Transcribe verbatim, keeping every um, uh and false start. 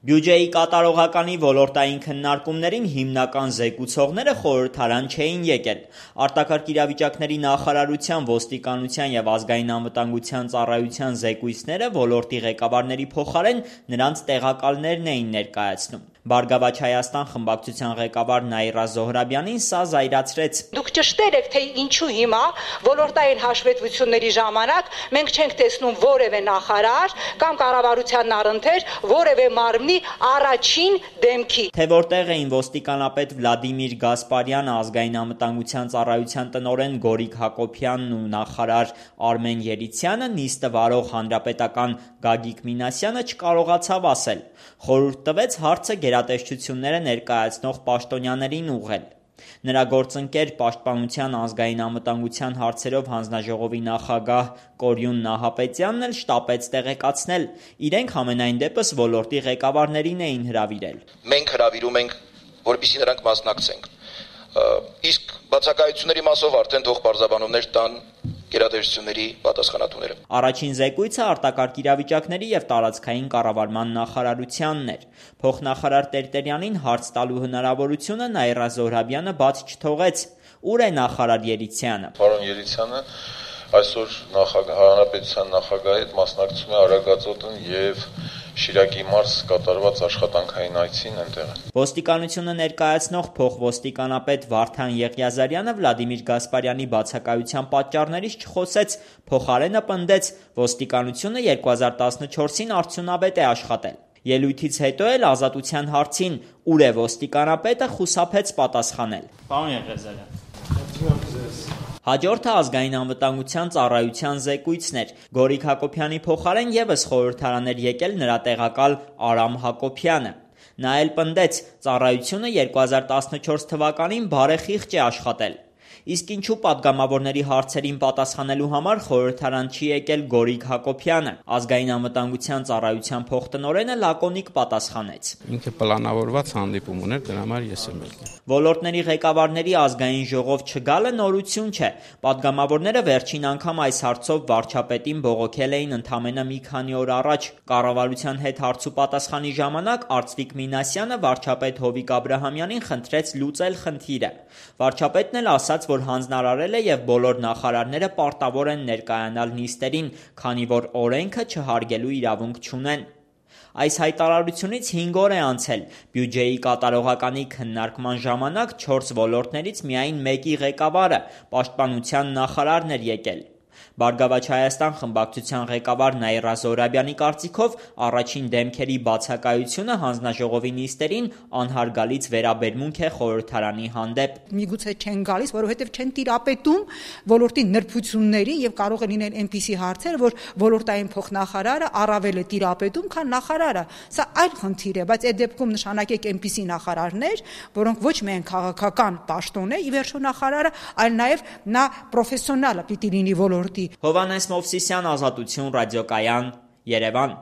Բյուջեի կատարողականի ոլորտային քննարկումներին հիմնական զեկուցողները խորհրդարան չէին եկել։ Արտակարգ իրավիճակների նախարարության, ոստիկանության և ազգային անվտանգության ծառայության զեկույցները ոլորտի ղեկավարների փոխարեն նրանց տեղակալներն էին ներկայացնում։ Բարգավաճ Հայաստան խմբակցության ղեկավար Նաիրա Զոհրաբյանին սա զայրացրեց։ Դուք ճշտել եք, թե ինչու հիմա ոլորտային հաշվետվությունների ժամանակ մենք չենք տեսնում որևէ նախարար կամ կառավարության առընթեր որևէ մարմնի առաջին դեմքի։ Թե որտեղ էին ոստիկանապետ Վլադիմիր Գասպարյանը, ազգային անվտանգության ծառայության տնօրեն Գորիկ Հակոբյանն ու նախարար Արմեն Երիցյանը, նիստը վարող հանրապետական Գագիկ Մինասյանը չկարողացավ ասել։ Խորհուրդ տվեց հարցը գերատեսչությունները ներկայացնող պաշտոնյաներին ուղղել։ Նրա գործընկեր Պաշտպանության ազգային անվտանգության հարցերով հանձնաժողովի նախագահ Կորյուն Նահապետյանն էլ շտապեց տեղեկացնել։ Իրենք համենայն դեպս ոլորտի ղեկավարներին էին հրավիրել։ Մենք հրավիրում ենք, որպեսզի նրանք մասնակցենք։ Իսկ բացակայությունների մասով արդեն թող պարզաբանումներ տան գերատեսչությունների պատասխանատուները։ Առաջին զեկույցը արտակարգ իրավիճակների և տարածքային կառավարման նախարարությանն էր։ Փոխնախարար Տերտերյանին հարց տալու հնարավորությունը Նաիրա Զոհրաբյանը բաց չթողեց։ Ուր է նախարար Երիցյանը։ Պարոն Երիցյանը այսօր հանրապետության նախագահի հետ մասնակցում է Արագածոտն և Շիրակի մարզ կատարված աշխատանքային այցին այնտեղ։ Ոստիկանությունը ներկայացնող փոխոստիկանապետ Վարդան Եղիազարյանը Վլադիմիր Գասպարյանի բացակայության պատճառներից չխոսեց, փոխարենը պնդեց, ոստիկանությունը երկու հազար տասնչորսին արդյունավետ է աշխատել։ Ելույթից հետո էլ Ազատության հարցին ուր է ոստիկանապետը խուսափեց պատասխանել։ Պարոն Եղիազարյան, Հաջորդը ազգային անվտանգության ծառայության զեկույցն էր։ Գորիկ Հակոբյանի փոխարեն ևս խորհրդարան էր եկել նրա տեղակալ Արամ Հակոբյանը։ Նա էլ պնդեց, ծառայությունը երկու հազար տասնչորս թվականին բարեխիղճ է աշխատել։ Իսկ ինչու պատգամավորների հարցերին պատասխանելու համար խորհրդարան չի եկել Գորիկ Հակոբյանը։ Ազգային անվտանգության ծառայության փոխտնօրենը լակոնիկ պատասխանեց։ Ինքը պլանավորված հանդիպում ուներ, դրա համար ես եմ եկել։ Ոլորտների ղեկավարների ազգային ժողով չգալը նորություն չէ։ Պատգամավորները վերջին անգամ այս հարցով վարչապետին բողոքել էին ընդամենը մի քանի օր առաջ։ Կառավարության հետ հարց ու պատասխանի ժամանակ Արծվիկ Մինասյանը վարչապետ Հովիկ Աբրահամյանին խնդրեց լուծել խնդիրը։ Վարչապետն էլ ասաց, որ հանձնարարել է և բոլոր նախարարները պարտավոր են ներկայանալ նիստերին, քանի որ օրենքը չհարգելու իրավունք չունեն։ Այս հայտարարությունից հինգ օր է անցել։ Բյուջեի կատարողականի քննարկման ժամանակ չորս ոլորտներից միայն մեկի ղեկավարը՝ պաշտպանության նախարարն էր եկել։ Բարգավաճ Հայաստան խմբակցության ղեկավար Նաիրա Զոհրաբյանի կարծիքով առաջին դեմքերի բացակայությունը հանձնաժողովի նիստերին անհարգալից վերաբերմունք է խորհրդարանի հանդեպ։ Միգուցե չեն գալիս, որովհետև չեն տիրապետում ոլորտի նրբություններին եւ կարող է լինել այնպիսի հարցեր, որ ոլորտային փոխնախարարը առավել է տիրապետում, քան նախարարը։ Սա այլ խնդիր է, բայց այդ դեպքում նշանակեք այնպիսի նախարարներ, որոնք ոչ միայն քաղաքական պաշտոն է, ի վերջո նախարարը, այլ նաեւ նա պրոֆեսիոնալ է պիտի լինի ոլորտի։ Հովհաննես Մովսիսյան, Ազատություն, Ռադիոկայան, Երևան։